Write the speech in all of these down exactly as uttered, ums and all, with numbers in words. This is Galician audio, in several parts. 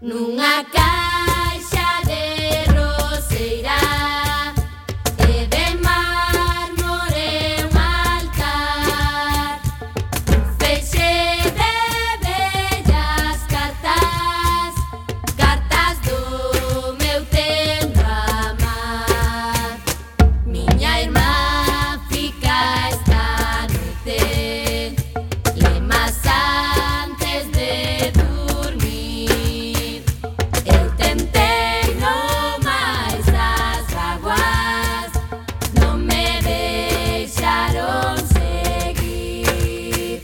Nunha caixa de roseira e de mármore un altar, un feixe de bellas cartas, cartas do meu tempo amar. Miña irmá fica esta noite lemas antes de dormir. Eu tentei no máis das vaguas, non me deixaron seguir.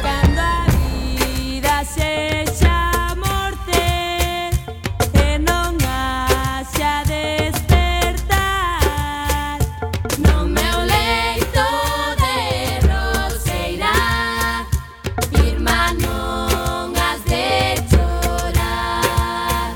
Cando a vida sexa morte e non haxa despertar, no meu leito de roseira, irmá, non has de chorar.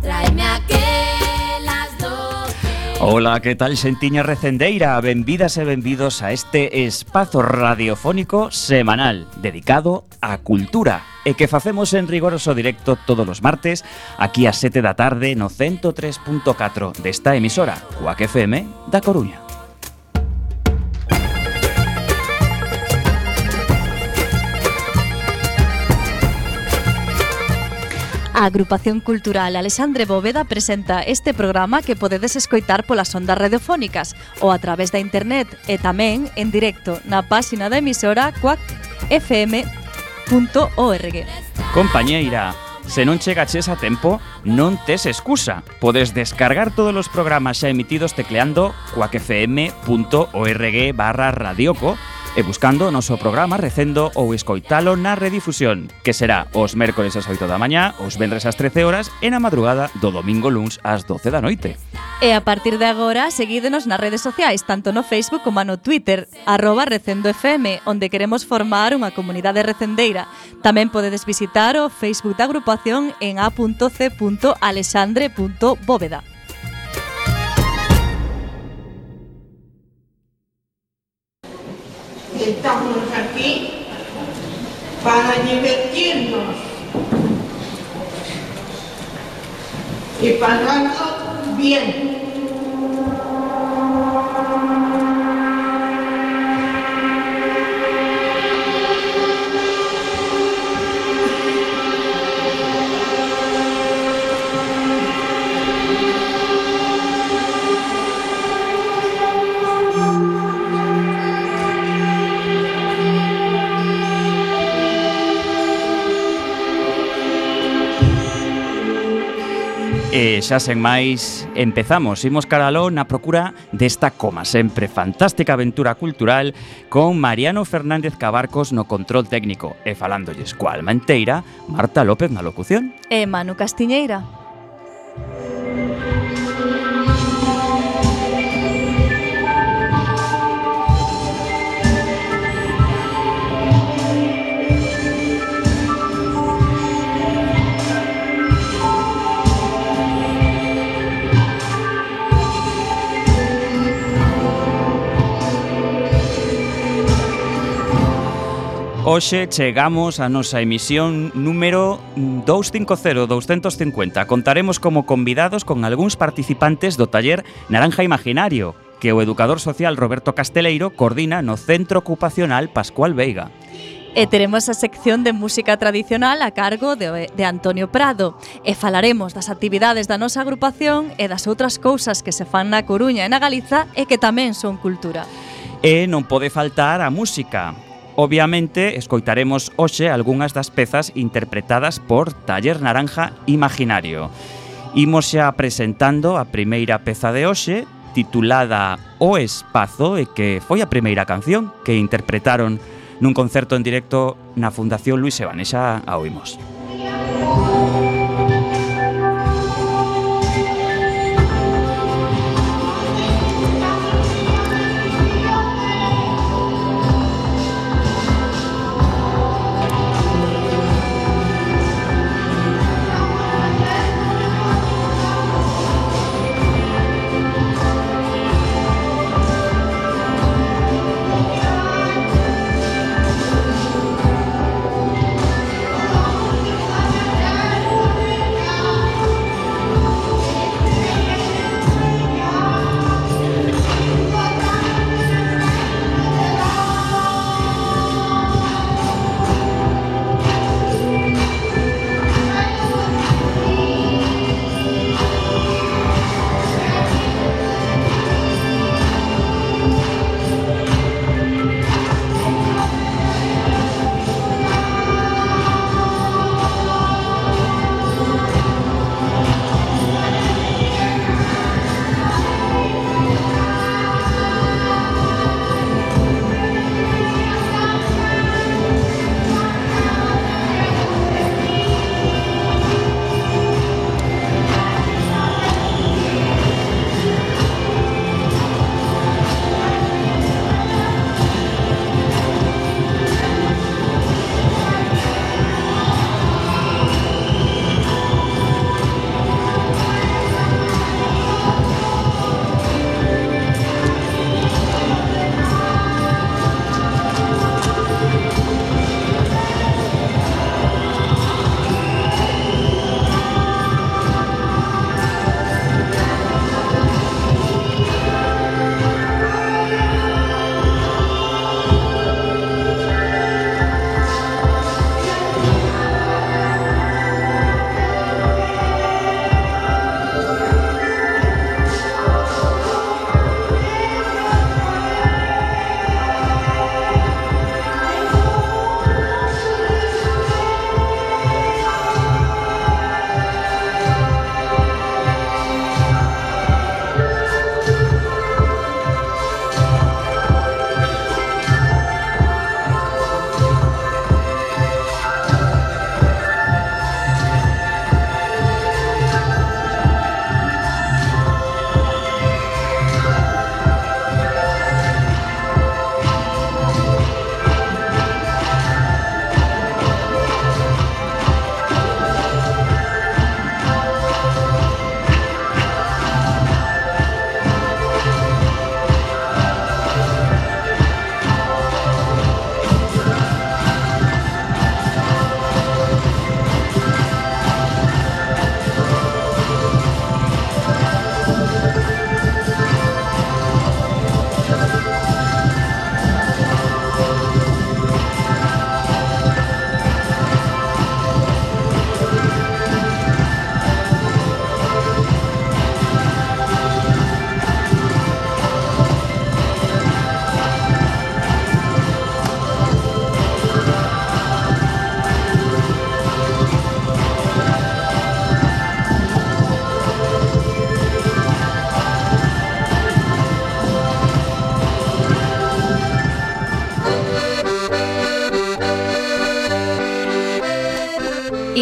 Traime aquelas do que Ola, que tal xentiña recendeira? Benvidas e benvidos a este espazo radiofónico semanal dedicado á cultura e que facemos en rigoroso directo todos os martes aquí ás sete da tarde no ciento tres punto catro desta emisora, Cuac F M da Coruña. A Agrupación Cultural Alexandre Bóveda presenta este programa que podedes escoitar polas ondas radiofónicas ou a través da internet e tamén en directo na páxina da emisora cuac f m punto org. Compañeira, se non chegaches a tempo, non tes excusa. Podes descargar todos os programas xa emitidos tecleando cuac f m punto org barra radioco e buscando o noso programa, recendo ou escoitalo na redifusión, que será os mércores ás oito da mañá, os venres ás trece horas e na madrugada do domingo luns ás doce da noite. E a partir de agora, seguídenos nas redes sociais, tanto no Facebook como no Twitter, arroba Recendo F M, onde queremos formar unha comunidade recendeira. Tamén podedes visitar o Facebook da agrupación en a punto c punto alexandre punto bóveda. Estamos aquí para divertirnos y pasarlo bien. E xa sen máis, empezamos, imos caraló na procura desta, como sempre, fantástica aventura cultural con Mariano Fernández Cabarcos no control técnico e falándolles coa alma enteira, Marta López na locución. E Manu Castiñeira. Hoxe chegamos a nosa emisión número doscientos cincuenta, doscientos cincuenta. Contaremos como convidados con algúns participantes do taller Naranja Imaginario, que o educador social Roberto Casteleiro coordina no Centro Ocupacional Pascual Veiga. E teremos a sección de música tradicional a cargo de, de Antonio Prado e falaremos das actividades da nosa agrupación e das outras cousas que se fan na Coruña e na Galiza e que tamén son cultura. E non pode faltar a música. Obviamente, escoitaremos hoxe algunhas das pezas interpretadas por Taller Naranja Imaginario. Imos xa presentando a primeira peza de hoxe, titulada O Espazo, e que foi a primeira canción que interpretaron nun concerto en directo na Fundación Luis Sebane. Xa a oímos.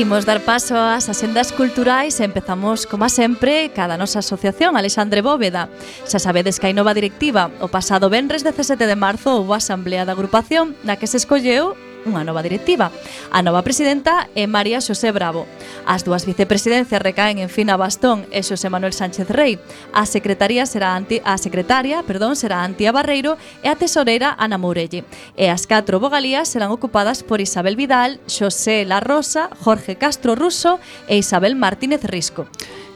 Imos dar paso ás asendas culturais e empezamos, como sempre, cada nosa asociación, Alexandre Bóveda. Xa sabedes que hai nova directiva. O pasado venres dezasete de marzo houve a asamblea da agrupación na que se escolleu unha nova directiva. A nova presidenta é María Xosé Bravo. As dúas vicepresidencias recaen en Fina Bastón e Xosé Manuel Sánchez Rei. A secretaría será anti, a secretaria, perdón, será Antía Barreiro e a tesoreira Ana Mourelle. E as catro vogalías serán ocupadas por Isabel Vidal, Xosé La Rosa, Jorge Castro Russo e Isabel Martínez Risco.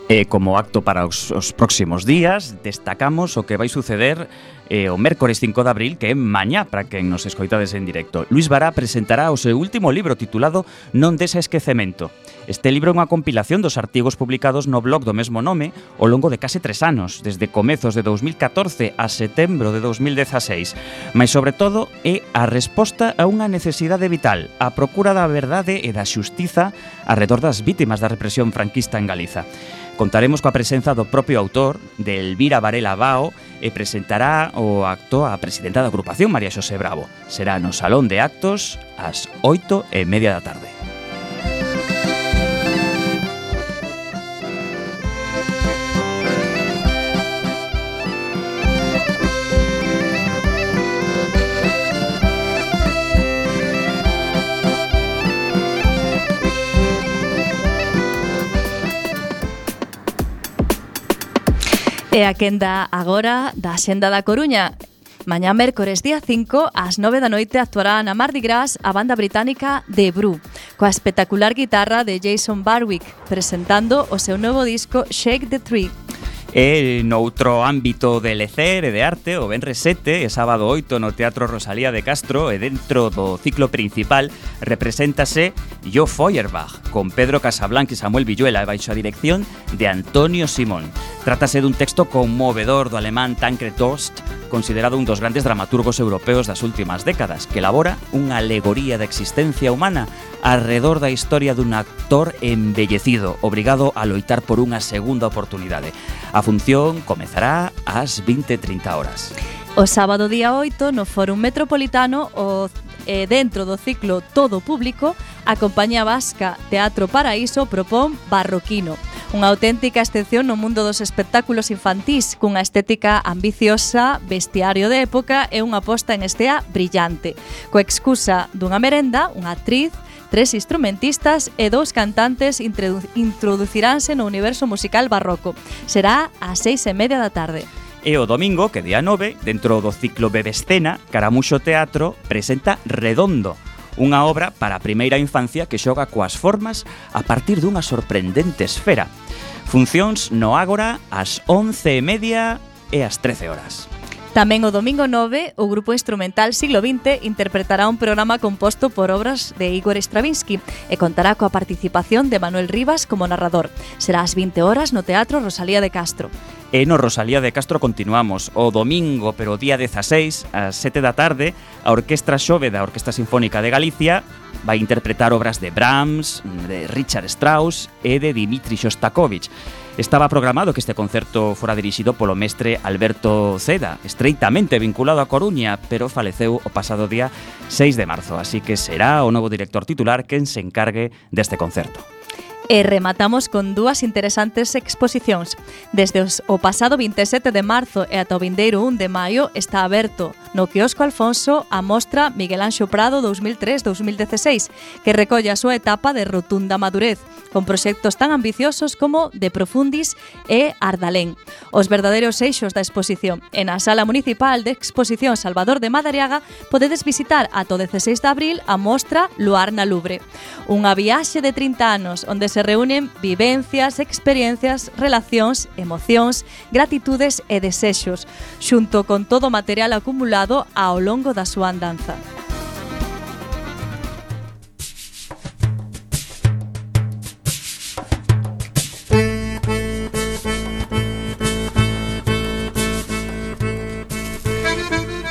E como acto para os, os próximos días, destacamos o que vai suceder eh, o mércores cinco de abril, que é mañá para quen nos escoitades en directo. Luis Bará presentará o seu último libro titulado Non des a esquecemento. Este libro é unha compilación dos artigos publicados no blog do mesmo nome ao longo de case tres anos, desde comezos de dous mil catorce a setembro de dous mil dezaseis. Mas, sobre todo, é a resposta a unha necesidade vital, a procura da verdade e da xustiza arredor das vítimas da represión franquista en Galiza. Contaremos coa presenza do propio autor, de Elvira Varela Bao, e presentará o acto a presidenta da agrupación, María Xosé Bravo. Será no Salón de Actos ás oito e media da tarde. E a quenda agora da Xenda da Coruña. Mañá mércores día cinco, ás nove da noite, actuará na Mardi Gras a banda británica The Brew, coa espectacular guitarra de Jason Barwick, presentando o seu novo disco Shake the Tree. E noutro ámbito de lecer e de arte, o venres sete e sábado oito no Teatro Rosalía de Castro, e dentro do ciclo principal represéntase Jo Feuerbach, con Pedro Casablanca e Samuel Villuela, e baixo a dirección de Antonio Simón. Trátase dun texto conmovedor do alemán Tancred Dorst, considerado un dos grandes dramaturgos europeos das últimas décadas, que elabora unha alegoría da existencia humana arredor da historia dun actor embellecido, obrigado a loitar por unha segunda oportunidade. A función comezará ás vinte e trinta horas. O sábado día oito, no Fórum Metropolitano, o eh, dentro do ciclo Todo Público, a compañía vasca Teatro Paraíso propón Barroquino, unha auténtica excepción no mundo dos espectáculos infantís, cunha estética ambiciosa, vestiario de época e unha posta en estea brillante. Coa excusa dunha merenda, unha actriz, tres instrumentistas e dous cantantes introdu- introduciránse no universo musical barroco. Será ás seis e media da tarde. E o domingo, que día nove, dentro do ciclo Bebescena, Caramuxo Teatro presenta Redondo, unha obra para a primeira infancia que xoga coas formas a partir dunha sorprendente esfera. Funcións no Ágora ás once e media e ás trece horas. Tamén o domingo nove, o grupo instrumental Siglo vinte interpretará un programa composto por obras de Igor Stravinsky e contará coa participación de Manuel Rivas como narrador. Será ás vinte horas no Teatro Rosalía de Castro. E no Rosalía de Castro continuamos o domingo, pero o día dezaseis, ás sete da tarde, a Orquestra Xove da Orquestra Sinfónica de Galicia vai interpretar obras de Brahms, de Richard Strauss e de Dmitri Shostakovich. Estaba programado que este concerto fora dirixido polo mestre Alberto Ceda, estreitamente vinculado a Coruña, pero faleceu o pasado día seis de marzo, así que será o novo director titular quen se encargue deste concerto. E rematamos con dúas interesantes exposicións. Desde os, o pasado vinte e sete de marzo e ata o vindeiro un de maio está aberto no Quiosco Alfonso a mostra Miguel Anxo Prado dous mil tres a dous mil dezaseis, que recolle a súa etapa de rotunda madurez, con proxectos tan ambiciosos como De Profundis e Ardalén. Os verdadeiros eixos da exposición. En a Sala Municipal de Exposición Salvador de Madariaga podedes visitar ata o dezaseis de abril a mostra Luar na Lubre. Unha viaxe de trinta anos onde se reúnen vivencias, experiencias, relacións, emocións, gratitudes e desexos, xunto con todo o material acumulado ao longo da súa andanza.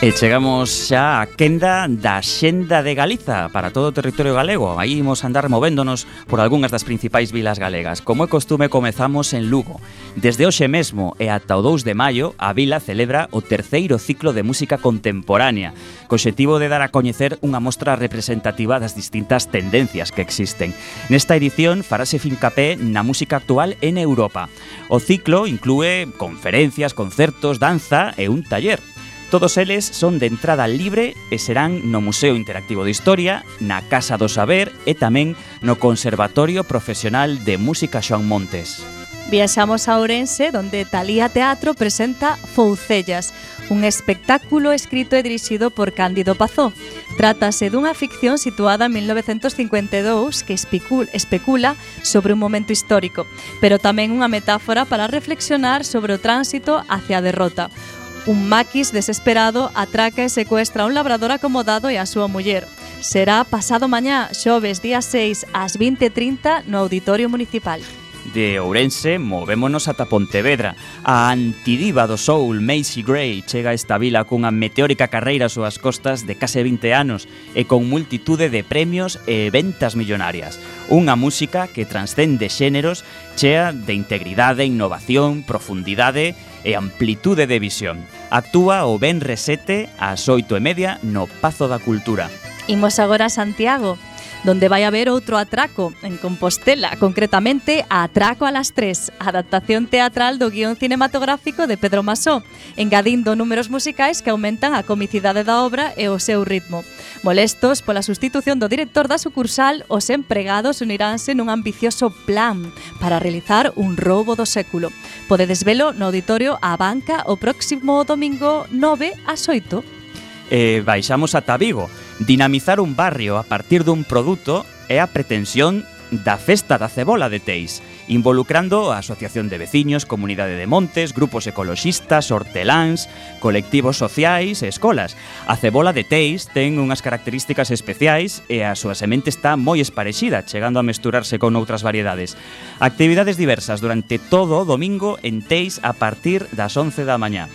E chegamos xa á quenda da Xenda de Galiza para todo o territorio galego. Aí imos andar movéndonos por algunhas das principais vilas galegas. Como é costume, comezamos en Lugo. Desde hoxe mesmo e ata o dous de maio, a vila celebra o terceiro ciclo de música contemporánea, co obxectivo de dar a coñecer unha mostra representativa das distintas tendencias que existen. Nesta edición farase fincapé na música actual en Europa. O ciclo inclúe conferencias, concertos, danza e un taller. Todos eles son de entrada libre e serán no Museo Interactivo de Historia, na Casa do Saber e tamén no Conservatorio Profesional de Música Xoán Montes. Viaxamos a Ourense, donde Talía Teatro presenta Foucellas, un espectáculo escrito e dirixido por Cándido Pazó. Trátase dunha ficción situada en mil novecentos cincuenta e dous que especula sobre un momento histórico, pero tamén unha metáfora para reflexionar sobre o tránsito hacia a derrota. Un maquis desesperado atraca e secuestra a un labrador acomodado e a súa muller. Será pasado mañá, xoves día seis, ás vinte e trinta, no Auditorio Municipal. De Ourense, movémonos ata Pontevedra. A antidiva do soul, Macy Gray, chega a esta vila cunha meteórica carreira ás súas costas de case vinte anos e con multitude de premios e ventas millonarias. Unha música que transcende xéneros, chea de integridade, innovación, profundidade e amplitude de visión. Actúa o venres sete ás oito e media no Pazo da Cultura. Imos agora a Santiago, donde vai haber outro atraco, en Compostela, concretamente a Atraco a las tres, a adaptación teatral do guión cinematográfico de Pedro Masó, engadindo números musicais que aumentan a comicidade da obra e o seu ritmo. Molestos pola sustitución do director da sucursal, os empregados uniránse nun ambicioso plan para realizar un roubo do século. Podedes velo no Auditorio A Banca o próximo domingo nove ás oito. E baixamos ata Vigo. Dinamizar un barrio a partir dun produto é a pretensión da Festa da Cebola de Teis, involucrando a Asociación de Veciños, Comunidade de Montes, grupos ecoloxistas, horteláns, colectivos sociais e escolas. A cebola de Teis ten unhas características especiais e a súa semente está moi esparexida, chegando a mesturarse con outras variedades. Actividades diversas durante todo o domingo en Teis a partir das once da mañá.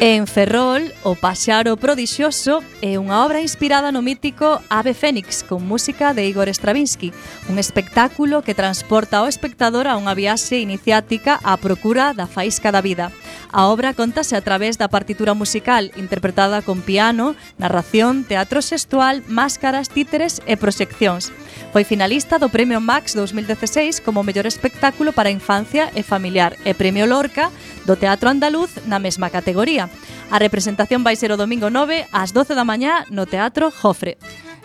En Ferrol, O Paxaro Prodixioso é unha obra inspirada no mítico Ave Fénix con música de Igor Stravinsky, un espectáculo que transporta ao espectador a unha viaxe iniciática á procura da faísca da vida. A obra contase a través da partitura musical interpretada con piano, narración, teatro xestual, máscaras, títeres e proxeccións. Foi finalista do Premio Max dos mil dieciséis como mellor espectáculo para a infancia e familiar e Premio Lorca do Teatro Andaluz na mesma categoría. A representación vai ser o domingo nove ás doce da mañá no Teatro Jofre.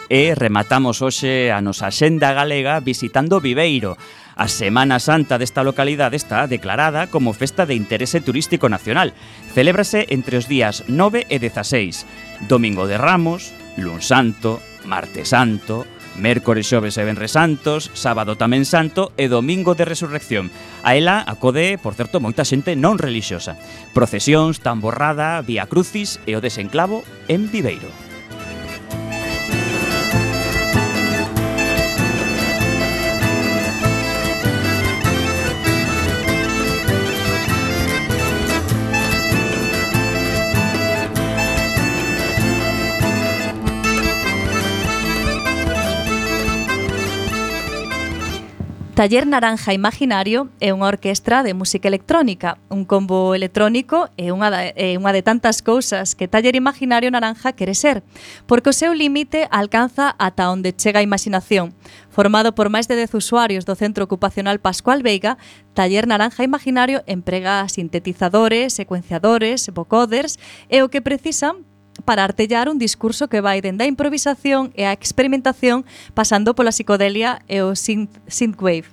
E rematamos hoxe a nosa Xenda galega visitando Viveiro. A Semana Santa desta localidade está declarada como Festa de Interese Turístico Nacional. Celébrase entre os días nove e dezaseis. Domingo de Ramos, Luns Santo, Martes Santo, mércores, xoves e venres santos, sábado tamén santo e domingo de resurrección. A ela acode, por certo, moita xente non relixiosa. Procesións, tamborrada, vía crucis e o desenclavo en Viveiro. Taller Naranja Imaginario é unha orquestra de música electrónica, un combo electrónico e unha de, e unha de tantas cousas que Taller Imaginario Naranja quere ser, porque o seu límite alcanza ata onde chega a imaginación. Formado por máis de dez usuarios do Centro Ocupacional Pascual Veiga, Taller Naranja Imaginario emprega sintetizadores, secuenciadores, vocoders e o que precisan para artellar un discurso que vai dende a improvisación e a experimentación pasando pola psicodelia e o synth, synthwave.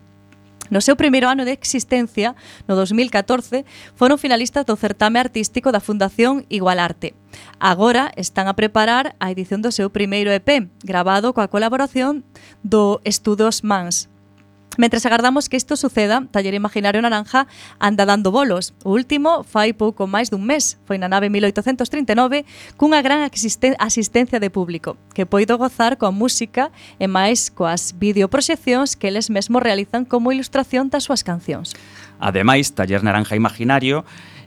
No seu primeiro ano de existencia, no dos mil catorce, foron finalistas do certame artístico da Fundación Igualarte. Agora están a preparar a edición do seu primeiro E P, grabado coa colaboración do Estudos Mans. Mentres agardamos que isto suceda, Taller Imaginario Naranja anda dando bolos. O último fai pouco máis dun mes. Foi na nave mil oitocentos trinta e nove cunha gran asistencia de público que poido gozar coa música e máis coas videoproxeccións que eles mesmos realizan como ilustración das súas cancións. Ademais, Taller Naranja Imaginario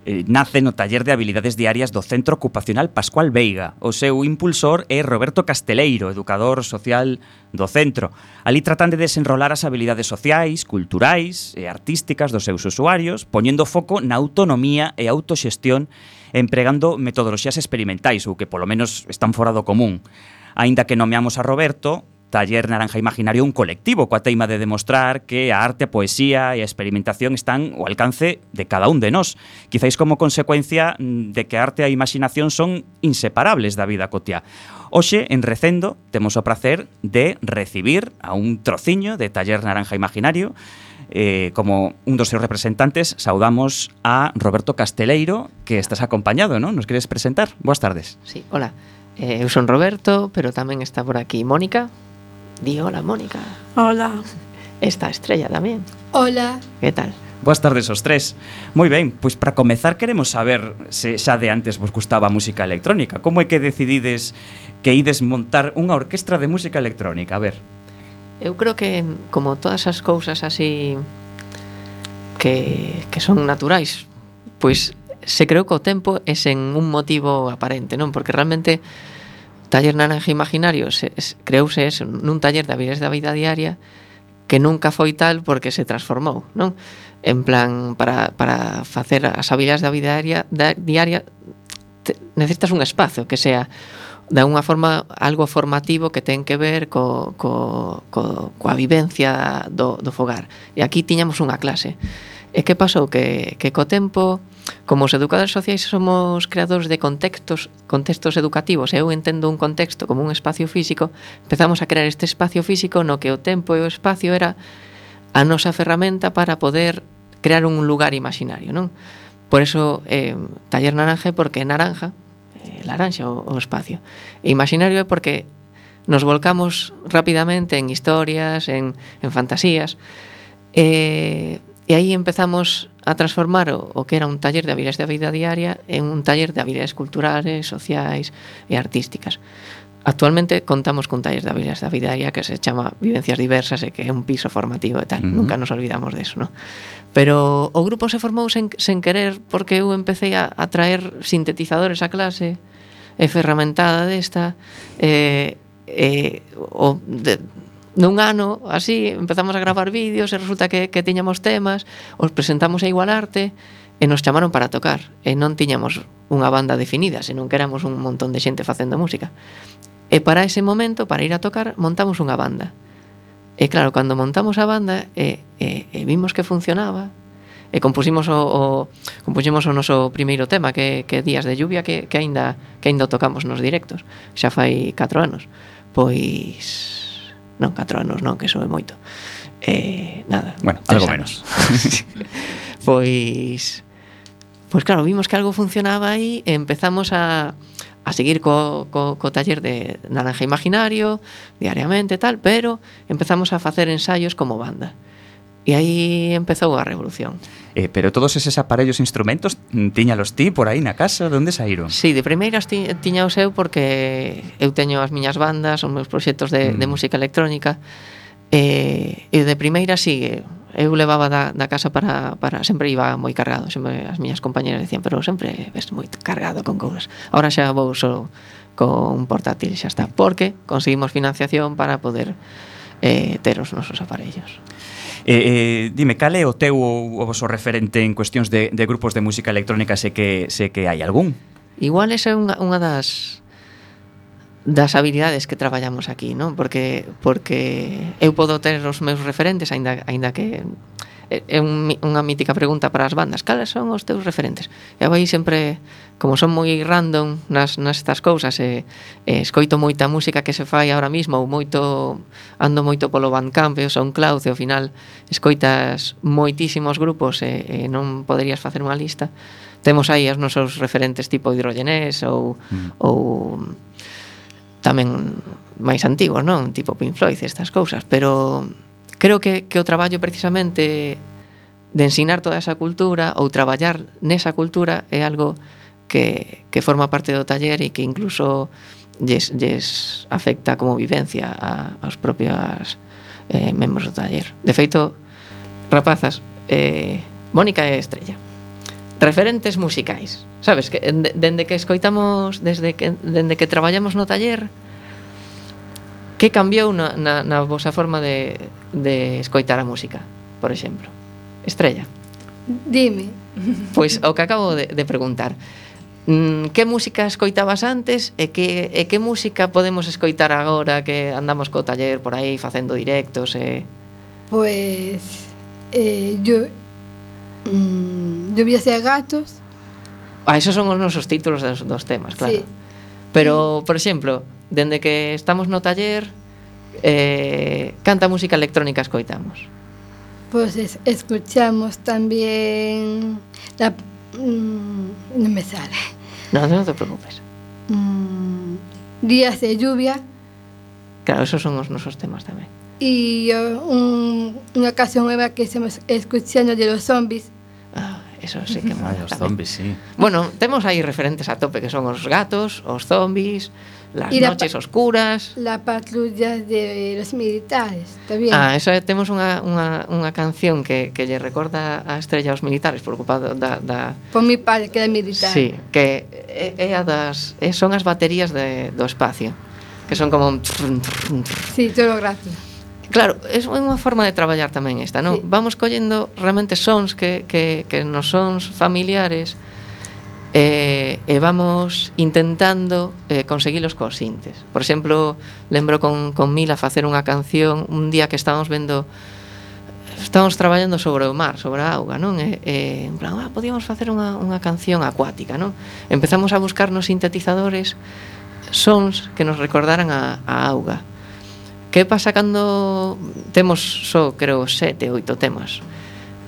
eh, nace no taller de habilidades diarias do Centro Ocupacional Pascual Veiga. O seu impulsor é Roberto Casteleiro, educador social do centro. Ali tratan de desenrolar as habilidades sociais, culturais e artísticas dos seus usuarios, poñendo foco na autonomía e autoxestión, empregando metodoloxías experimentais, ou que polo menos están fora do común. Aínda que nomeamos a Roberto, Taller Naranja Imaginario é un colectivo coa teima de demostrar que a arte, a poesía e a experimentación están ao alcance de cada un de nós, quizáis como consecuencia de que a arte e a imaginación son inseparables da vida cotiá. Hoxe, en Recendo, temos o prazer de recibir a un trociño de Taller Naranja Imaginario. Eh, como un dos seus representantes, saudamos a Roberto Casteleiro, que estás acompañado, non? Nos queres presentar? Boas tardes. Sí, hola. Eh, eu son Roberto, pero tamén está por aquí Mónica. Di hola, Mónica. Hola. Está Estrella tamén. Hola. Que tal? Boas tardes aos tres. Moi ben, pois para comezar queremos saber se xa de antes vos gustaba a música electrónica. Como é que decidides que ides montar unha orquestra de música electrónica? A ver. Eu creo que, como todas as cousas así que, que son naturais, pois se creou co tempo e sen un motivo aparente, non? Porque realmente Taller Naranja Imaginario se, se, creouse eso, nun taller de habilidades da vida diaria que nunca foi tal porque se transformou, non? En plan, para, para facer as habilidades da vida diaria, da, diaria te, necesitas un espazo que sea de alguna forma algo formativo que ten que ver co, co, co, coa vivencia do, do fogar. E aquí tiñamos unha clase. E que pasou? Que, que co tempo, como os educadores sociais somos creadores de contextos, contextos educativos, e eu entendo un contexto como un espacio físico, empezamos a crear este espacio físico no que o tempo e o espacio era a nosa ferramenta para poder crear un lugar imaginario, non? Por eso, eh, Taller Naranja é porque é naranja, eh, laranxa o, o espacio. E imaginario é porque nos volcamos rapidamente en historias, en, en fantasías, e... E aí empezamos a transformar o, o que era un taller de habilidades da vida diaria en un taller de habilidades culturales, sociais e artísticas. Actualmente contamos cun taller de habilidades da vida diaria que se chama Vivencias Diversas e que é un piso formativo e tal. Uh-huh. Nunca nos olvidamos de eso, ¿no? Pero o grupo se formou sen, sen querer porque eu empecé a, a traer sintetizadores a clase e ferramentada desta e, e o... De, nun ano, así, empezamos a gravar vídeos e resulta que, que tiñamos temas, os presentamos a Igualarte e nos chamaron para tocar e non tiñamos unha banda definida, senón que éramos un montón de xente facendo música. E para ese momento, para ir a tocar, montamos unha banda. E claro, cando montamos a banda e, e, e vimos que funcionaba e compusimos o, o, compusimos o noso primeiro tema que, que Días de Lluvia que, que, aínda, que aínda tocamos nos directos, xa fai catro anos. Pois... Non, catro anos non, que iso é moito. Eh, nada. Bueno, algo menos. Pois Pois claro, vimos que algo funcionaba aí e empezamos a a seguir co, co, co taller de Naranja Imaginario diariamente e tal, pero empezamos a facer ensaios como banda. E aí empezou a revolución. Eh, pero todos eses aparellos e instrumentos tiñalos ti por aí na casa? De onde saíron? Sí, de primeiras ti, tiñaos eu porque eu teño as miñas bandas, os meus proxectos de, mm. de música electrónica e, e de primeira sí, eu levaba da, da casa para, para sempre iba moi cargado, sempre as miñas compañeras decían, pero sempre ves moi cargado con cousas. Ahora xa vou só con un portátil, xa está, porque conseguimos financiación para poder eh, ter os nosos aparellos. Eh, eh, dime, cal é o teu o vosso referente en cuestións de, de grupos de música electrónica? Sé que, sé que hai algún. Igual esa é unha, unha das das habilidades que traballamos aquí, non? Porque porque eu podo ter os meus referentes, aínda aínda que é un, unha mítica pregunta para as bandas, cales son os teus referentes? E aí sempre, como son moi random nas, nas estas cousas e, e escoito moita música que se fai ahora mismo ou moito, ando moito polo Bandcamp e o SoundCloud e ao final escoitas moitísimos grupos e, e non poderías facer unha lista. Temos aí os nosos referentes tipo Hidrogenés ou, mm. ou tamén máis antigos, non? Tipo Pink Floyd, estas cousas, pero creo que, que o traballo precisamente de ensinar toda esa cultura ou traballar nesa cultura é algo que, que forma parte do taller e que incluso lles, lles afecta como vivencia a, aos propios eh, membros do taller. De feito, rapazas, eh, Mónica é Estrella. referentes musicais, sabes, que de, dende que escoitamos, desde que dende que traballamos no taller, que cambiou na, na, na vosa forma de, de escoitar a música, por exemplo? Estrella. Dime. Pois o que acabo de, de preguntar. Mm, que música escoitabas antes e que, e que música podemos escoitar agora que andamos co taller por aí facendo directos e... Pues eh, yo mmm, Lluvias e gatos. Ah, esos son os nosos títulos dos, dos temas, claro. Sí. Pero, por exemplo, dende que estamos no taller, eh, canta música electrónica escoitamos? Pues es, escuchamos también la mmm, no me sale. No, no te preocupes. Mmm, días de lluvia. Claro, esos son os nosos temas tamén. Y uh, un, una canción nueva que estamos escuchando de los zombies. Ah, eso sí que mola. Ay, os tamén. zombies, sí. Bueno, temos aí referentes a tope que son os gatos, os zombies, las Y la noches pa- oscuras. La patrulla de los militares, también. Ah, eso é, temos unha, unha, unha canción que, que lle recorda a Estrella aos militares por ocupado da, da Por mi padre, que era militar. sí, que é, é a das é, son as baterías de, do espacio, que son como un... Sí, todo gratis. Claro, é unha forma de traballar tamén esta, non? Sí. Vamos collendo realmente sons que, que, que nos sons familiares e, e vamos intentando eh, conseguilos cos sintes. Por exemplo, lembro con, con Mila facer unha canción un día que estábamos vendo, estábamos traballando sobre o mar, sobre a auga, non? E, e en plan, ah, podíamos facer unha, unha canción acuática, non? Empezamos a buscar nos sintetizadores sons que nos recordaran a, a auga. Que pasa cando temos só, creo, sete, oito temas?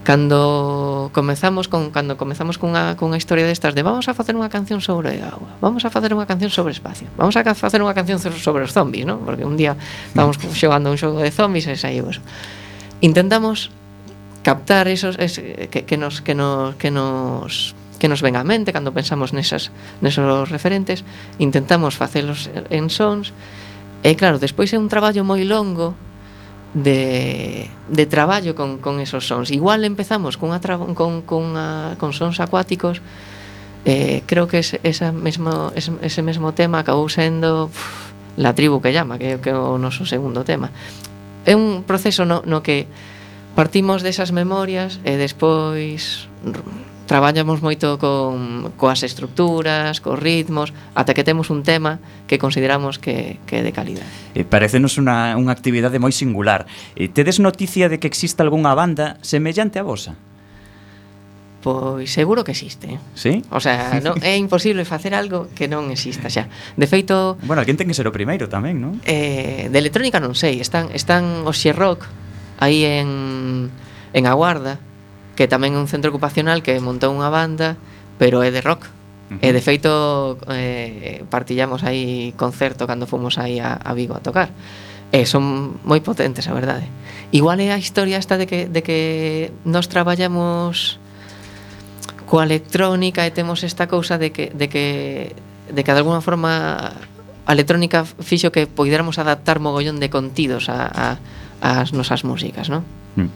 Cando comezamos con cando comezamos cunha cunha historia destas de vamos a facer unha canción sobre auga, vamos a facer unha canción sobre espacio, vamos a facer unha canción sobre os zombies, non? Porque un día estábamos xogando un xogo de zombies e saiu eso. Intentamos captar esos es, que, que nos que nos que nos que nos ven á mente cando pensamos nesas nesos referentes, intentamos facelos en sons. E claro, despois é un traballo moi longo de, de traballo con, con esos sons. Igual empezamos cunha tra, con, con, a, con sons acuáticos, eh, creo que ese, esa mesmo, ese, ese mesmo tema acabou sendo uf, La tribu que llama, que, que é o noso segundo tema. É un proceso no, no que partimos desas memorias e despois traballamos moito con coas estructuras, cos ritmos, ata que temos un tema que consideramos que, que é de calidad. E parecenos unha, unha actividade moi singular. E tedes noticia de que existe algunha banda semellante a vosa? Pois seguro que existe. Sí? O sea, non, é imposible facer algo que non exista xa. De feito, Bueno, alguén ten que ser o primeiro tamén, non? eh, de electrónica non sei, están están os Xerrock aí en en A Guarda, que tamén é un centro ocupacional que montou unha banda, pero é de rock. Uh-huh. E de feito eh, partillamos aí concerto cando fomos aí a, a Vigo a tocar. E son moi potentes, a verdade. Igual é a historia esta de que, de que nos traballamos coa electrónica e temos esta cousa de que, de que, de que de alguna forma a electrónica fixo que poidéramos adaptar mogollón de contidos a, a, as nosas músicas, non? Mm.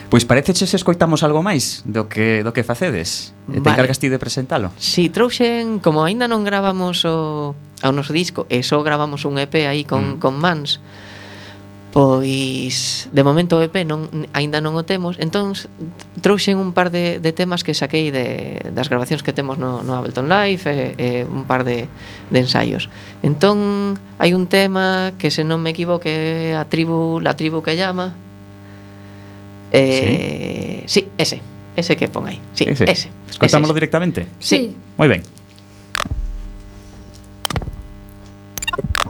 Pois pareceche se escoitamos algo máis do que do que facedes. E te Vale. encargas ti de presentalo. Si, trouxen, como aínda non gravamos o, o noso disco e só gravamos un E P aí con, Mm. con mans, pois de momento o E P non, aínda non o temos, entón trouxen un par de, de temas que saquei de, das grabacións que temos no, no Ableton Live e, e un par de, de ensaios. Entón hai un tema que, se non me equivoque, a tribu, la tribu que llama. Eh, sí, ese, ese que pon aí. Sí, ese. ese Escoitámoslo ese. directamente? Sí. Moi ben. Thank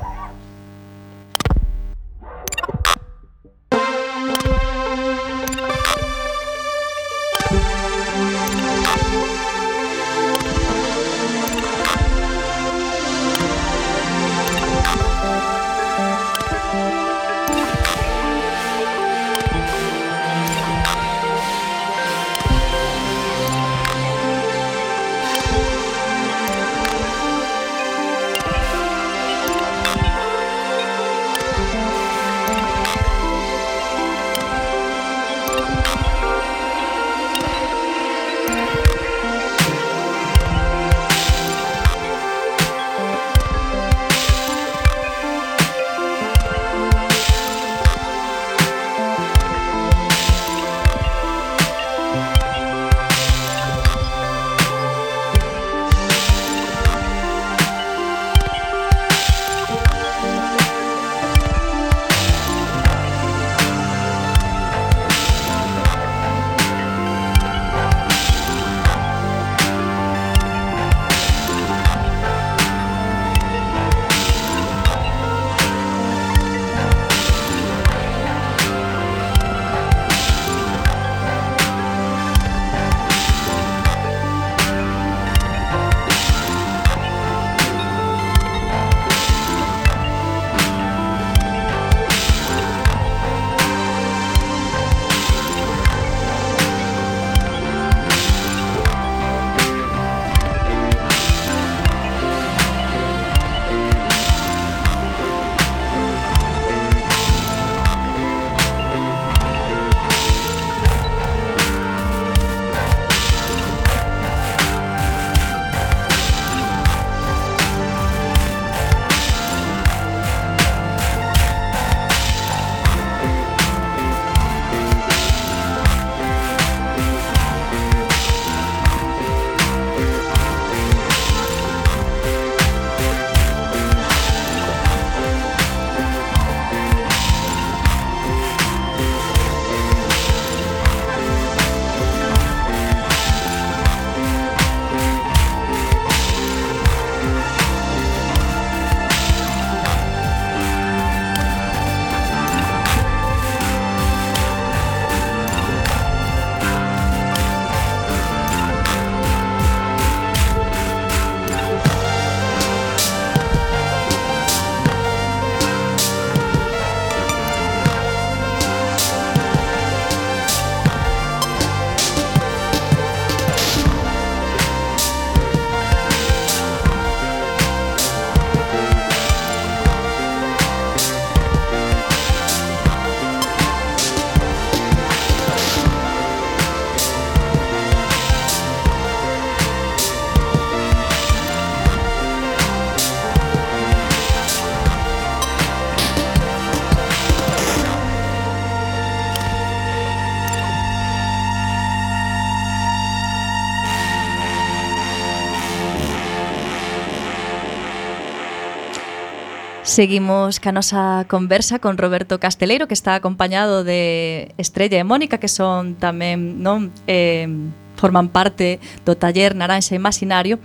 Seguimos ca nosa conversa con Roberto Casteleiro, que está acompañado de Estrella e Mónica, que son tamén, non, eh, forman parte do taller Naranxa Imaginario.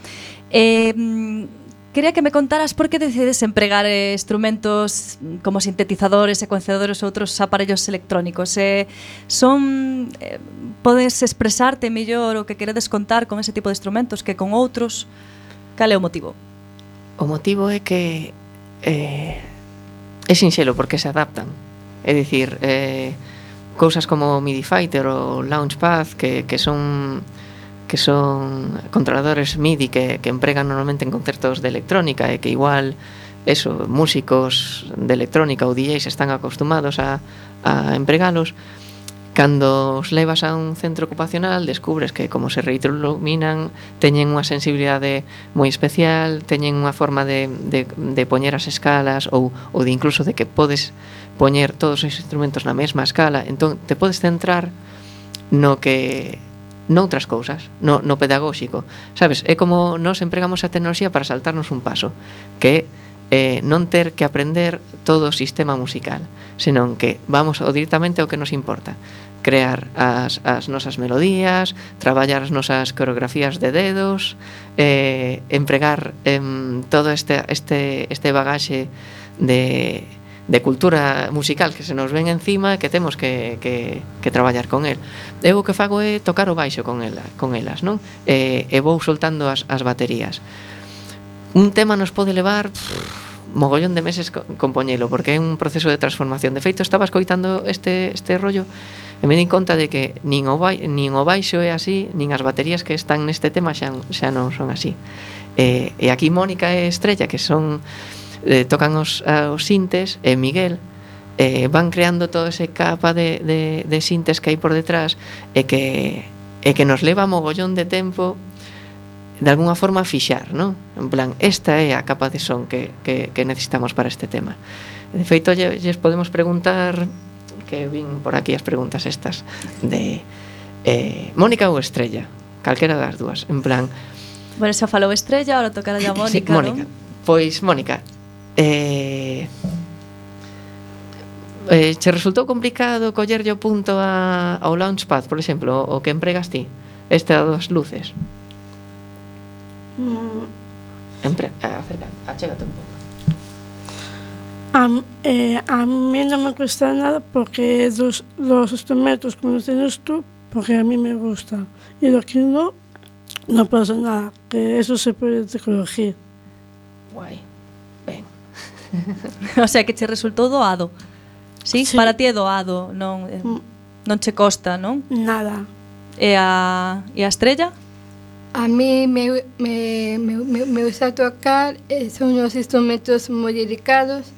Eh, quería que me contaras por que decides empregar eh, instrumentos como sintetizadores, secuenciadores ou outros aparellos electrónicos. Eh, son eh, podes expresarte mellor o que queredes contar con ese tipo de instrumentos que con outros? Cal é o motivo? O motivo é que eh, é sinxelo porque se adaptan. É dicir, eh, cousas como MIDI Fighter ou Launchpad que, que son que son controladores MIDI que, que empregan normalmente en concertos de electrónica e que igual eso, músicos de electrónica ou D Js están acostumados a, a empregalos. Cando os levas a un centro ocupacional descubres que como se retroiluminan teñen unha sensibilidade moi especial, teñen unha forma de, de, de poñer as escalas ou, ou de incluso de que podes poñer todos os instrumentos na mesma escala, entón te podes centrar no que noutras cousas, no, no pedagóxico, sabes? É como nós empregamos a tecnoloxía para saltarnos un paso, que é eh, non ter que aprender todo o sistema musical, senón que vamos o directamente ao que nos importa, crear as, as nosas melodías, traballar as nosas coreografías de dedos, eh, empregar eh, todo este, este, este bagaxe de, de cultura musical que se nos ven encima e que temos que, que, que traballar con el. Eu o que fago é tocar o baixo con, ela, con elas, non? E, e vou soltando as, as baterías. Un tema nos pode levar pff, mogollón de meses compoñelo, porque é un proceso de transformación. De feito, estaba escoitando este, este rollo e me di conta de que nin o, bai, nin o baixo é así, nin as baterías que están neste tema xa, xa non son así. E, e aquí Mónica e Estrella, que son eh, tocan os, os sintes, e Miguel eh, van creando todo ese capa de, de, de sintes que hai por detrás e que, e que nos leva mogollón de tempo de alguna forma fixar, non? En plan, esta é a capa de son que, que, que necesitamos para este tema. De feito, lles podemos preguntar, que vin por aquí as preguntas estas, de eh, Mónica ou Estrella, calquera das dúas, en plan... Bueno, xa falou Estrella, ahora tocará a Mónica, sí, Mónica. Non? Pois, Mónica, eh, eh, che resultou complicado collerlle o punto a, ao Launchpad, por exemplo, o que empregas ti, esta das luces? Mm, Empre acerca, achégate un pouco. A, eh, a mí non me cuesta nada porque dos, los instrumentos como los tienes tú, porque a mí me gusta. Y lo que no, no pasa nada, que eso se puede corregir. Guai, ben. O sea, que che resultou doado. Sí? Sí. Para ti é doado, non, eh, non che costa, non? Nada. E a, e a Estrella? A mí me, me, me, me gusta tocar, eh, son unos instrumentos muy delicados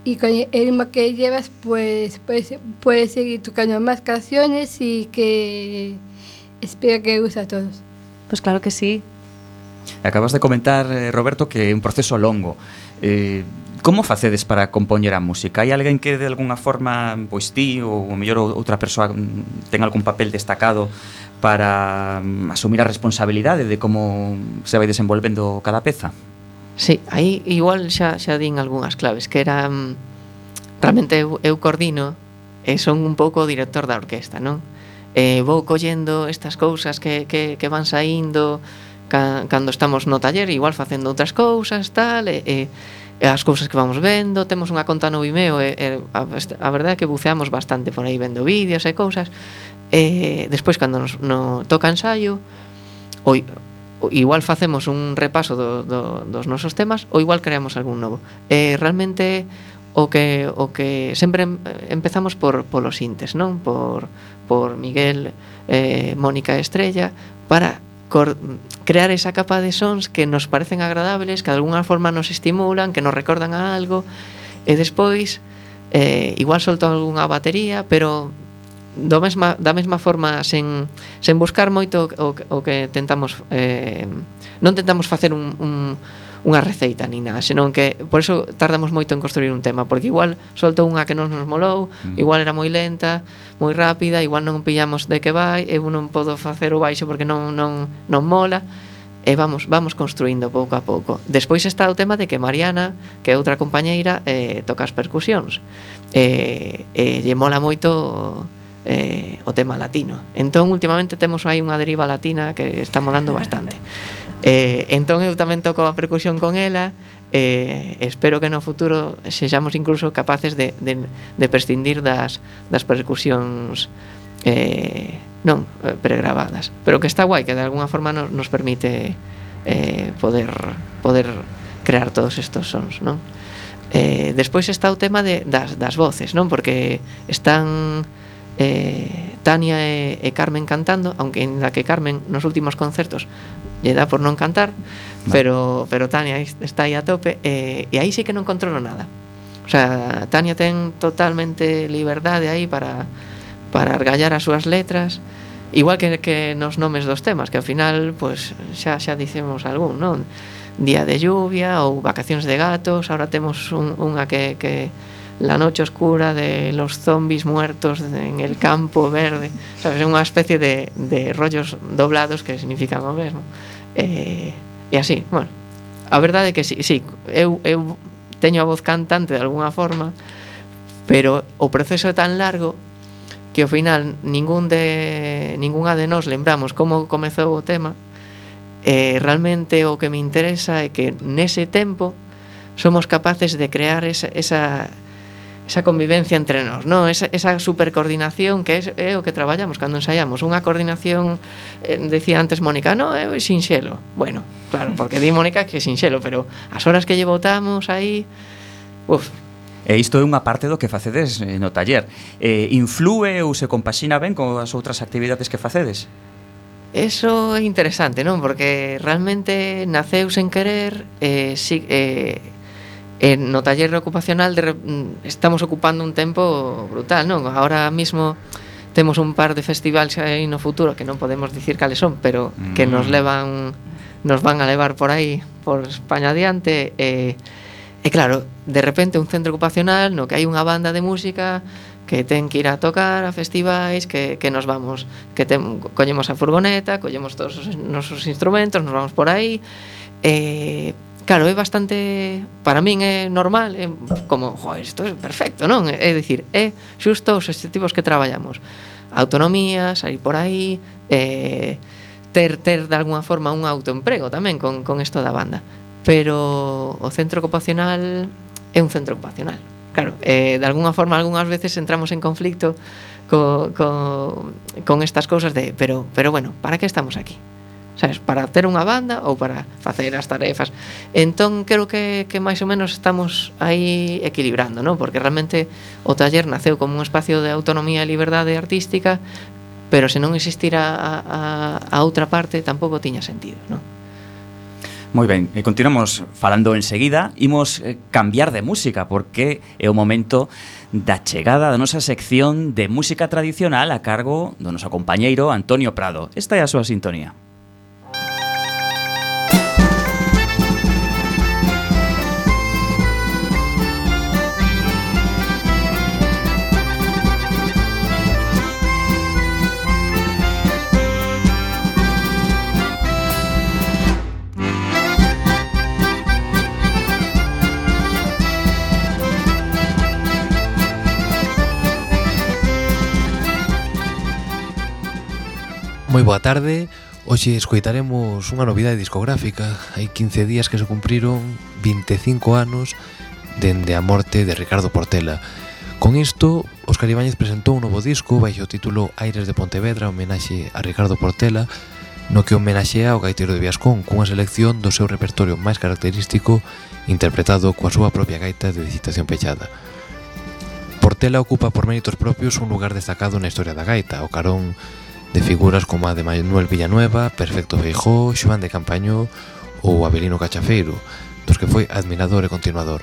y con el ritmo que llevas pues puedes, puedes seguir tocando más canciones y que espero que guste a todos. Pois claro que sí. Acabas de comentar, eh, Roberto, que é un proceso longo. Eh, como facedes para compoñer a música? Hai alguén que de alguna forma, pois ti ou o mellor outra persoa ten algún papel destacado para um, asumir a responsabilidade de como se vai desenvolvendo cada peza? Sí, aí igual xa, xa din algunhas claves, que era um, realmente eu, eu coordino e son un pouco o director da orquesta, non? E vou collendo estas cousas que, que, que van saindo ca, cando estamos no taller, igual facendo outras cousas, tal, e, e, e as cousas que vamos vendo, temos unha conta no Vimeo e, e a, a verdade é que buceamos bastante por aí vendo vídeos e cousas. E despois cando nos no toca ensaio ou, ou igual facemos un repaso do, do, dos nosos temas ou igual creamos algún novo. E realmente o que o que sempre empezamos por polos sintes, non? Por por Miguel, eh, Mónica e Estrella para cor, crear esa capa de sons que nos parecen agradables, que de alguna forma nos estimulan, que nos recordan a algo, e despois eh, igual solto algunha batería, pero do mesma, da mesma forma sen, sen buscar moito o, o que tentamos eh, non tentamos facer un, un, unha receita ni nada, senón que por eso tardamos moito en construir un tema, porque igual solto unha que non nos molou, mm. igual era moi lenta, moi rápida, igual non pillamos de que vai, eu non podo facer o baixo porque non, non, non mola, e vamos vamos construindo pouco a pouco. Despois está o tema de que Mariana, que é outra compañeira, eh, toca as percusións, e, e lle mola moito eh, o tema latino. Entón, últimamente temos aí unha deriva latina que está molando bastante. Eh, entón, eu tamén toco a percusión con ela, e eh, espero que no futuro sexamos incluso capaces de, de, de prescindir das, das percusións eh, non pregravadas, pero que está guai, que de alguna forma nos, nos permite eh, poder poder crear todos estos sons, non? Eh, despois está o tema de, das, das voces, non? Porque están eh, Tania e, e Carmen cantando, aunque en la que Carmen nos últimos concertos lle dá por non cantar, vale. pero pero Tania está aí a tope, e, e aí sí que non controlo nada. O sea, Tania ten totalmente liberdade aí para para argallar as súas letras, igual que, que nos nomes dos temas, que ao final pues, xa, xa dicemos algún, non? Día de lluvia ou Vacacións de gatos. Ahora temos un, unha que, que La noche oscura de los zombies muertos en el campo verde, sabes? É unha especie de, de rollos doblados que significan o mesmo, e, e así, bueno, a verdade é que sí, sí eu, eu teño a voz cantante de alguna forma, pero o proceso é tan largo que ao final ningún de ningunha de nós lembramos como comezou o tema, e realmente o que me interesa é que nese tempo somos capaces de crear esa, esa, esa convivencia entre nós, non? Esa, esa supercoordinación que é, é o que traballamos cando ensaiamos, unha coordinación, eh, decía antes Mónica, non, é sinxelo. Bueno, claro, porque di Mónica que é sinxelo, pero as horas que lle botamos aí, uf. E isto é unha parte do que facedes no taller. Eh, inflúe ou se compaxina ben con as outras actividades que facedes? Eso é interesante, non? Porque realmente naceu sen querer, eh, si, eh, eh, no taller ocupacional de, estamos ocupando un tempo brutal, non? Ahora mismo temos un par de festivales aí no futuro que non podemos dicir cales son, pero mm. que nos levan, nos van a levar por aí, por España adiante, e eh, E claro, de repente un centro ocupacional no que hai unha banda de música que ten que ir a tocar a festivais, que, que nos vamos, que ten, collemos a furgoneta, collemos todos os nosos instrumentos, nos vamos por aí, e claro, é bastante, para min é normal, é como, joder, isto é perfecto, non? É dicir, é xusto os objetivos que traballamos, autonomía, sair por aí, e ter, ter de alguna forma un autoemprego tamén con, con isto da banda. Pero o centro ocupacional é un centro ocupacional. Claro, eh, de alguna forma, algunhas veces entramos en conflicto co, co, con estas cousas de, pero, pero bueno, para que estamos aquí? Sabes, para ter unha banda ou para facer as tarefas? Entón, creo que, que máis ou menos estamos aí equilibrando, non? Porque realmente o taller naceu como un espacio de autonomía e liberdade artística, pero se non existira a, a, a outra parte, tampouco tiña sentido, non? Moi ben, e continuamos falando enseguida. Imos eh, cambiar de música porque é o momento da chegada da nosa sección de música tradicional a cargo do noso compañeiro Antonio Prado. Esta é a súa sintonía. Moi boa tarde. Hoxe escoitaremos unha novidade discográfica. Hai quince días que se cumpriron vinte e cinco anos dende a morte de Ricardo Portela. Con isto, Óscar Ibáñez presentou un novo disco baixo o título Aires de Pontevedra, homenaxe a Ricardo Portela, no que homenaxea ao gaiteiro de Viascón cunha selección do seu repertorio máis característico interpretado coa súa propia gaita de digitación pechada. Portela ocupa por méritos propios un lugar destacado na historia da gaita, ao carón de figuras como a de Manuel Villanueva, Perfecto Feijóo, Xoán de Campañó ou Avelino Cachafeiro, dos que foi admirador e continuador.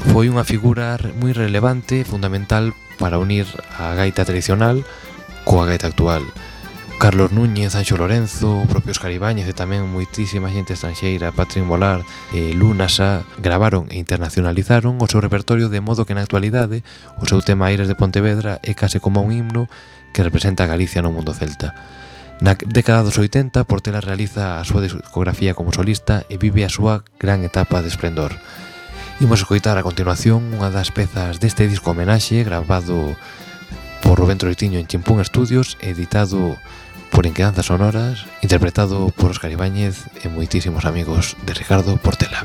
Foi unha figura moi relevante e fundamental para unir a gaita tradicional coa gaita actual. Carlos Núñez, Anxo Lorenzo, o propio Óscar Ibáñez e tamén moitísima xente estranxeira, Patrick Molar e Luna Sá gravaron e internacionalizaron o seu repertorio de modo que na actualidade o seu tema Aires de Pontevedra é case como un himno que representa a Galicia no mundo celta. Na década dos oitenta, Portela realiza a súa discografía como solista e vive a súa gran etapa de esplendor. Imos escoitar a continuación unha das pezas deste disco homenaxe gravado por Rubén Troitiño en Chimpún Estudios, editado por Inquedanzas Sonoras, interpretado por Óscar Ibáñez e moitísimos amigos de Ricardo Portela.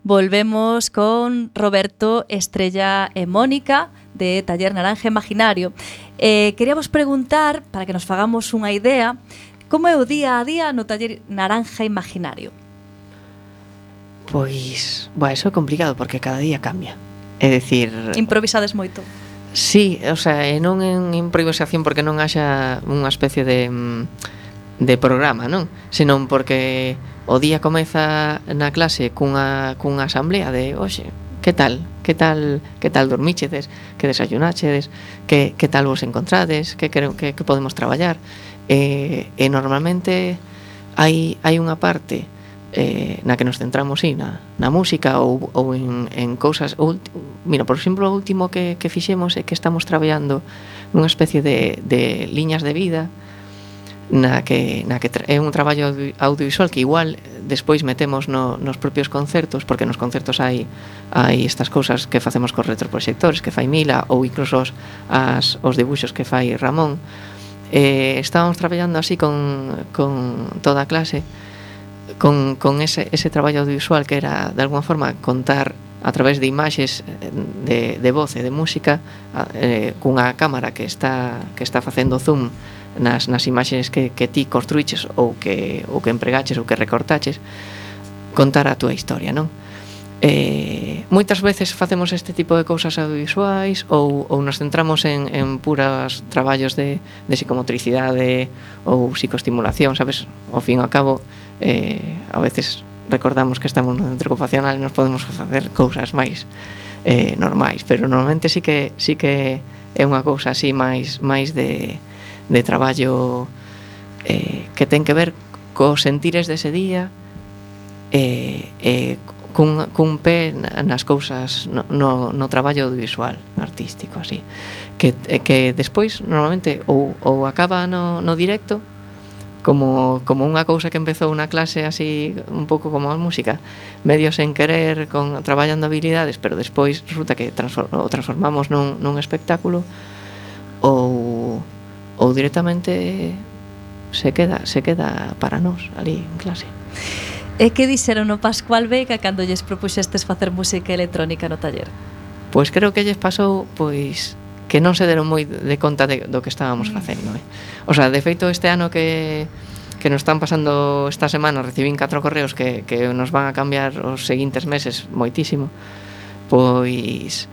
Volvemos con Roberto, Estrella e Mónica de Taller Naranja Imaginario. Eh, queríamos preguntar, para que nos fagamos unha idea, como é o día a día no Taller Naranja Imaginario? Pois, bueno, eso é complicado porque cada día cambia. É dicir... Improvisades moito? Sí, o sea, e non en improvisación porque non haxa unha especie de, de programa, non? Senón porque o día comeza na clase cunha, cunha asamblea de, oxe, que tal? Que tal, que tal dormichedes? Que desayunachedes? Que, que tal vos encontrades? Que, que, que podemos traballar? E, e normalmente hai, hai unha parte eh, na que nos centramos sí, na, na música ou, ou en, en cousas ou, mira, por exemplo, o último que, que fixemos é que estamos traballando nunha especie de, de liñas de vida na que, na que tra- é un traballo audiovisual que igual despois metemos no, nos propios concertos, porque nos concertos hai, hai estas cousas que facemos cos retroproxectores que fai Mila ou incluso os, as, os dibuixos que fai Ramón. Eh, estábamos traballando así con, con toda a clase con, con ese, ese traballo audiovisual que era de alguna forma contar a través de imaxes de, de voz e de música eh, cunha cámara que está, que está facendo zoom nas, nas imaxes que, que ti construíches ou que, ou que empregaches ou que recortaches, contar a túa historia, non? Eh, moitas veces facemos este tipo de cousas audiovisuais ou, ou nos centramos en, en puras traballos de, de psicomotricidade ou psicoestimulación, sabes? Ao fin e ao cabo eh, a veces recordamos que estamos no centro ocupacional e nos podemos facer cousas máis eh, normais, pero normalmente sí que, sí que é unha cousa así máis, máis de, de traballo eh, que ten que ver cos sentires dese día e, e cun, cun pé nas cousas no, no, no traballo audiovisual artístico así que, que despois normalmente ou, ou acaba no, no directo como, como unha cousa que empezou na clase así un pouco como a música medio sen querer con, traballando habilidades pero despois resulta que transform, o transformamos nun, nun espectáculo ou, ou directamente se queda, se queda para nós ali en clase. E que dixeron no Pascual Veiga cando lles propuxestes facer música electrónica no taller? Pois creo que lles pasou pois que non se deron moi de conta de, do que estábamos facendo, eh? O sea, de feito este ano que que nos están pasando esta semana recibín catro correos que, que nos van a cambiar os seguintes meses moitísimo. Pois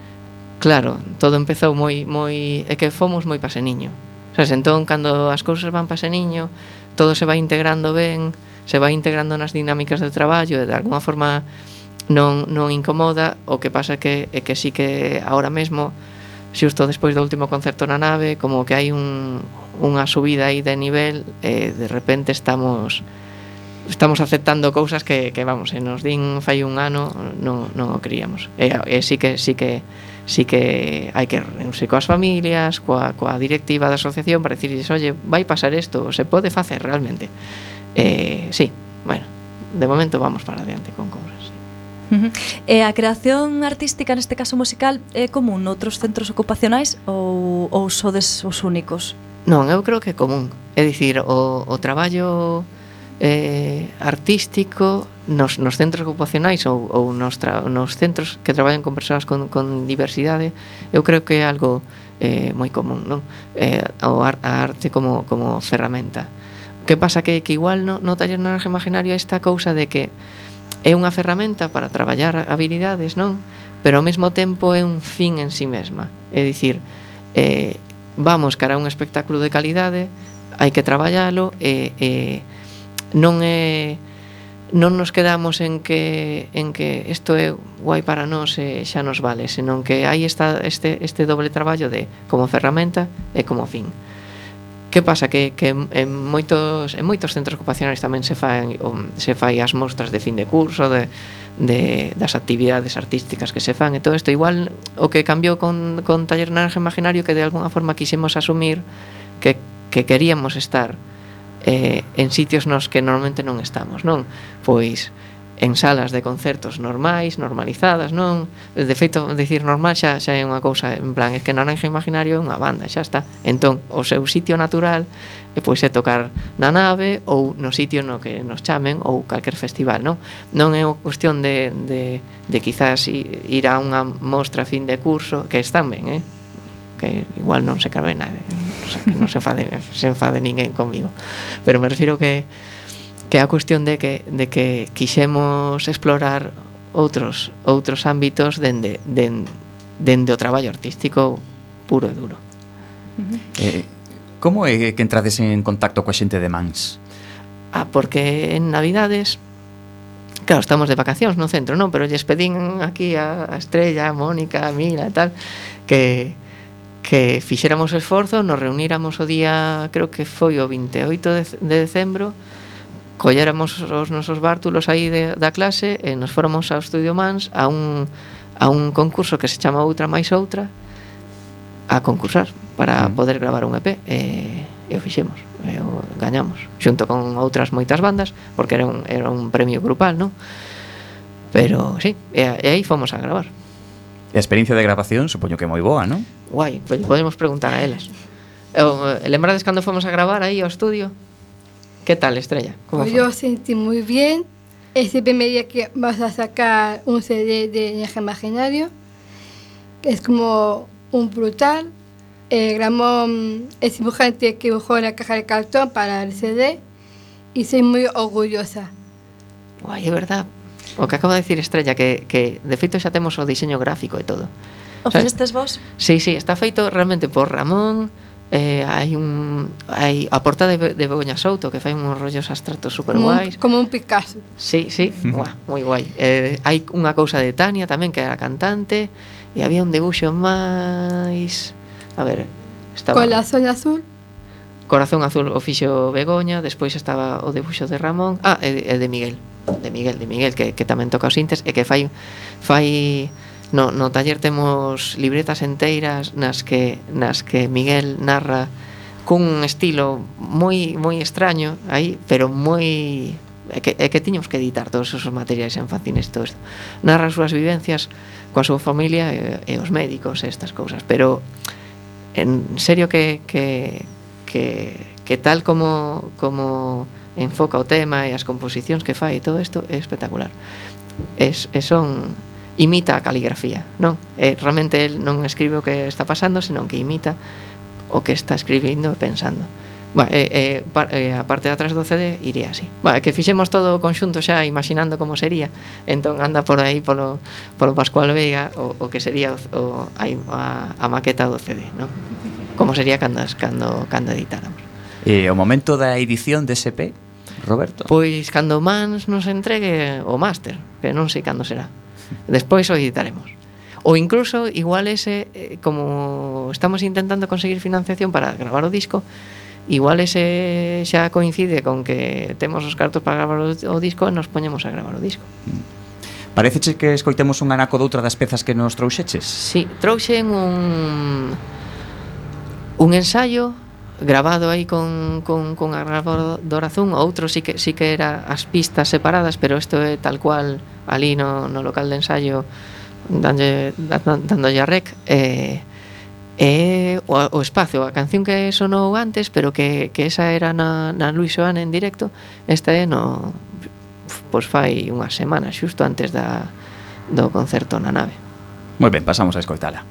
claro, todo empezou moi moi é que fomos moi paseniño. O sea, entón cando as cousas van paseniño, todo se vai integrando ben, se vai integrando nas dinámicas de traballo e de alguna forma non non incomoda, o que pasa que é que sí que agora mesmo xusto despois do último concerto na nave como que hai un, unha subida aí de nivel e de repente estamos estamos aceptando cousas que, que vamos, se nos din fai un ano non, non o queríamos e, e sí que sí que sí que hai que reunirse coas familias coa, coa directiva da asociación para dicirles, oye, vai pasar isto, se pode facer realmente eh, sí, bueno de momento vamos para adiante con cousas sí. Uh-huh. E a creación artística, neste caso musical, é común noutros centros ocupacionais ou, ou sodes os únicos? Non, eu creo que é común. É dicir, o, o traballo eh, artístico nos, nos centros ocupacionais ou, ou nos, tra, nos centros que traballan con persoas con, con diversidade, eu creo que é algo eh, moi común, non? Eh, o ar, a arte como, como ferramenta. O que pasa que, que igual no, no taller naranja imaginario esta cousa de que é unha ferramenta para traballar habilidades, non? Pero ao mesmo tempo é un fin en sí mesma. É dicir, eh, vamos cara a un espectáculo de calidade, hai que traballalo e, e non é non nos quedamos en que en que isto é guai para nós e xa nos vale, senón que hai esta, este, este doble traballo de como ferramenta e como fin. Que pasa? Que, que en, moitos, en moitos centros ocupacionais tamén se fai, se fai as mostras de fin de curso, de, de, das actividades artísticas que se fan e todo isto. Igual o que cambiou con, con Taller Naranja Imaginario que de alguna forma quixemos asumir que, que queríamos estar eh, en sitios nos que normalmente non estamos, non? Pois en salas de concertos normais, normalizadas, non? De feito, decir normal xa, xa é unha cousa, en plan, é que Naranja Imaginario é unha banda, xa está. Entón, o seu sitio natural é pois é tocar na nave ou no sitio no que nos chamen ou calquer festival, non? Non é unha cuestión de, de, de quizás ir a unha mostra a fin de curso, que están ben, eh? Que igual non se cabe nada, o sea, que non se enfade, se enfade ninguén comigo. Pero me refiro que que é a cuestión de que, de que quixemos explorar outros outros ámbitos dende, dende, dende o traballo artístico puro e duro. Uh-huh. Eh, como é que entrades en contacto coa xente de Mans? Ah, porque en Navidades, claro, estamos de vacacións no centro, non? Pero lles pedín aquí a, a Estrella, a Mónica, a Mila e tal, que que fixéramos esforzo, nos reuníramos o día, creo que foi o veintioito de, de decembro, colléramos os nosos bártulos aí de, da clase e nos fóramos ao Estudio Mans a un, a un concurso que se chama Outra máis Outra a concursar para mm. poder gravar un E P e, e o fixemos, e o gañamos xunto con outras moitas bandas porque era un, era un premio grupal, non? Pero sí, e, e aí fomos a gravar. E a experiencia de grabación supoño que é moi boa, non? Guai, pues podemos preguntar a elas. E, lembrades cando fomos a gravar aí ao estudio? ¿Qué tal, Estrella? ¿Cómo pues fue? Yo sentí muy bien. Ese primer día que vas a sacar un C D de Naranja Imaginario, que es como un brutal. Eh, Ramón es dibujante que dibujó la caja de cartón para el C D y soy muy orgullosa. Guai, é verdad. O que acaba de decir Estrella, que, que de feito xa temos o diseño gráfico e todo. O fixestes vos? Sí, sí, está feito realmente por Ramón. Eh, hai un hai a portada de, de Begoña Souto que fai uns rollos abstractos super guais, como un Picasso. Sí, sí, guau, moi guai. Eh, hai unha cousa de Tania tamén que era cantante e había un debuxo máis, a ver, estaba Corazón Azul. Corazón Azul o fixo Begoña, despois estaba o debuxo de Ramón, ah, e de, e de Miguel. de Miguel, de Miguel que, que tamén toca os sintes e que fai fai no, no taller temos libretas enteiras nas que nas que Miguel narra cun estilo moi moi extraño aí, pero moi é que, é que tiñamos que editar todos esos materiais en fanzines e todo isto. Narra as súas vivencias coa súa familia e, e os médicos e estas cousas, pero en serio que que que que tal como como enfoca o tema e as composicións que fai e todo isto é espectacular. Es, es son imita a caligrafía, non? E realmente el non escribe o que está pasando, senón que imita o que está escribindo e pensando. Bueno, e, e, e a parte de atrás do C D iría así. Bueno, que fixemos todo o conxunto xa imaginando como sería. Entón anda por aí polo, polo Pascual Veiga o, o que sería o, o, a, a maqueta do C D, non? Como sería cando, cando, cando editáramos. E o momento da edición dese P, Roberto? Pois cando Mans nos entregue o máster, que non sei cando será. Despois o editaremos. Ou incluso, igual ese, eh, como estamos intentando conseguir financiación para gravar o disco, igual ese xa coincide con que temos os cartos para gravar o, o disco e nos poñemos a gravar o disco. Pareceche que escoitemos un anaco doutra das pezas que nos trouxeches? Sí, trouxen un un ensayo grabado aí con, con, con a gravadora Zoom. Outro sí que, sí que era as pistas separadas, pero isto é tal cual ali no, no local de ensayo dándolle, dándolle a rec e, e o, o espacio, a canción que sonou antes pero que, que esa era na, na Luis Joan en directo, esta é no pois fai unhas semanas xusto antes da, do concerto na nave. Moi ben, pasamos a escoitala.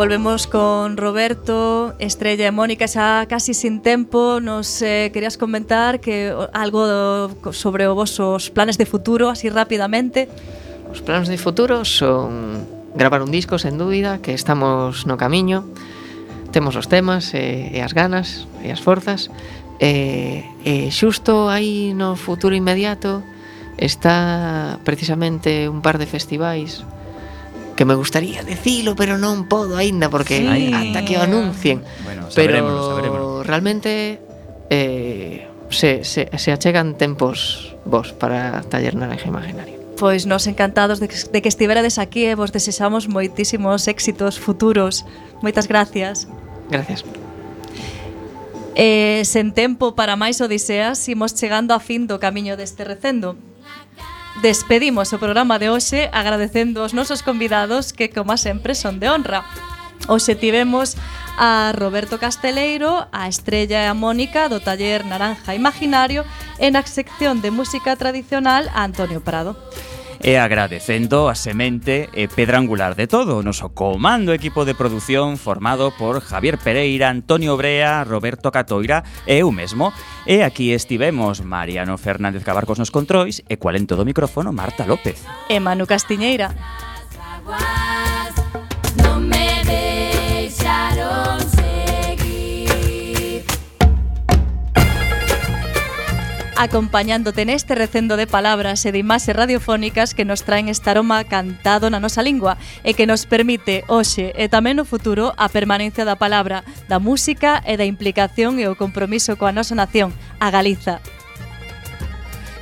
Volvemos con Roberto, Estrella e Mónica xa casi sin tempo. Nos eh, querías comentar que algo do, sobre os vosos planes de futuro, así rapidamente. Os planes de futuro son gravar un disco, sen dúbida, que estamos no camiño. Temos os temas e, e as ganas e as forzas. E, e xusto aí no futuro inmediato está precisamente un par de festivais que me gustaría decilo, pero non podo aínda porque sí. Ata que o anuncien. Bueno, pero saberémoslo. Realmente eh, se, se, se achegan tempos vos para Taller Naranja Imaginario. Pois nos encantados de que, de que estiverades aquí e vos desexamos moitísimos éxitos futuros. Moitas gracias. Gracias. Eh, sen tempo para máis odiseas, imos chegando a fin do camiño deste recendo. Despedimos o programa de hoxe agradecendo aos nosos convidados que, como sempre, son de honra. Hoxe tivemos a Roberto Casteleiro, a Estrella e a Mónica do Taller Naranja Imaginario e na sección de música tradicional a Antonio Prado. E agradecendo a semente e pedra angular de todo, o noso comando equipo de produción formado por Javier Pereira, Antonio Brea, Roberto Catoira e eu mesmo. E aquí estivemos Mariano Fernández Cabarcos nos controis e cual en todo o micrófono Marta López. E Manu Castiñeira. Non me deixaron seguir. Acompañándote neste recendo de palabras e de imaxes radiofónicas que nos traen este aroma cantado na nosa lingua e que nos permite hoxe e tamén no futuro a permanencia da palabra, da música e da implicación e o compromiso coa nosa nación, a Galiza.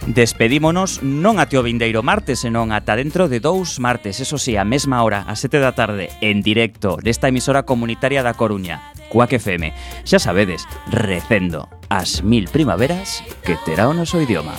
Despedímonos non até o vindeiro martes, senón ata dentro de dous martes, eso sí, a mesma hora, a sete da tarde, en directo, desta emisora comunitaria da Coruña, Cuac F M. Xa sabedes, recendo as mil primaveras que terá o noso idioma.